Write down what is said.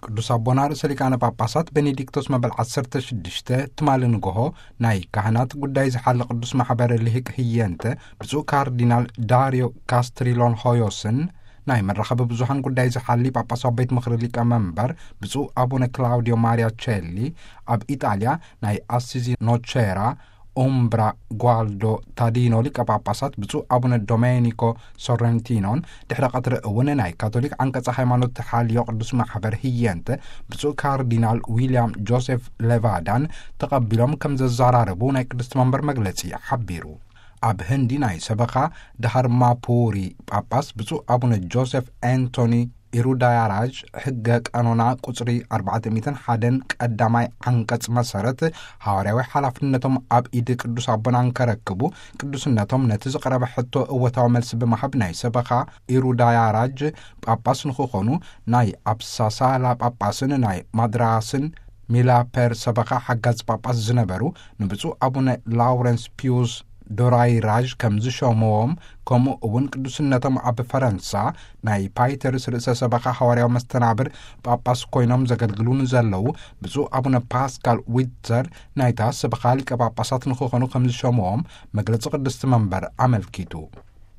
ቅዱስ ኣቦና ርእሰ ሊቃነ ጳጳሳት ቤኔዲክቶስ መበል ዓሰርተ ሽዱሽተ ትማሊ ንግሆ ናይ ካህናት ጉዳይ ዝሓሊ ቅዱስ ማሕበር ልሂቅ ህየንተ ብፁዕ ካርዲናል ዳሪዮ ካስትሪሎን ሆዮስን፣ ናይ መራኸቢ ብዙሃን ጉዳይ ዝሓሊ ጳጳሳዊ ቤት ምኽሪ ሊቀ መንበር ብፁዕ ኣቡነ ክላውዲዮ ማሪያ ቸሊ፣ ኣብ ኢጣልያ ናይ ኣሲዚ ኖቼራ ኡምብራ ጓልዶ ታዲኖ ሊቀ ጳጳሳት ብፁዕ ኣቡነ ዶሜኒኮ ሶረንቲኖን፣ ድሕሪ ቀትሪ እውን ናይ ካቶሊክ ዓንቀጸ ሃይማኖት ተሓልዮ ቅዱስ ማሕበር ህየንተ ብፁዕ ካርዲናል ዊልያም ጆሴፍ ሌቫዳን ተቐቢሎም ከም ዘዘራረቡ ናይ ቅድስቲ መንበር መግለጺ ሓቢሩ። ኣብ ህንዲ ናይ ሰበኻ ዳሃርማፑሪ ጳጳስ ብፁዕ ኣቡነ ጆሴፍ ኣንቶኒ ኢሩዳያራጅ ሕገ ቀኖና ቁጽሪ ኣርባዕተ ሚእትን ሓደን ቀዳማይ ዓንቀጽ መሰረት፣ ሃዋርያዊ ሓላፍነቶም ኣብ ኢድ ቅዱስ ኣቦና እንከረክቡ፣ ቅዱስነቶም ነቲ ዝቐረበ ሕቶ እወታዊ መልሲ ብምሃብ ናይ ሰበኻ ኢሩዳያራጅ ጳጳስ ንኽኾኑ ናይ ኣፕሳሳላ ጳጳስን ናይ ማድራስን ሚላፐር ሰበኻ ሓጋዝ ጳጳስ ዝነበሩ ንብፁዕ ኣቡነ ላውረንስ ፒዩስ ዶራይራዥ ከም ዝሸምዎም፣ ከምኡ እውን ቅዱስነቶም ኣብ ፈረንሳ ናይ ፓይተርስ ርእሰ ሰበኻ ሃዋርያዊ መስተናብር ጳጳስ ኮይኖም ዘገልግሉ ንዘለዉ ብፁዕ ኣቡነ ፓስካል ዊትዘር ናይታ ሰበኻ ሊቀ ጳጳሳት ንኽኾኑ ከም ዝሸምዎም መግለጺ ቅድስቲ መንበር ኣመልኪቱ።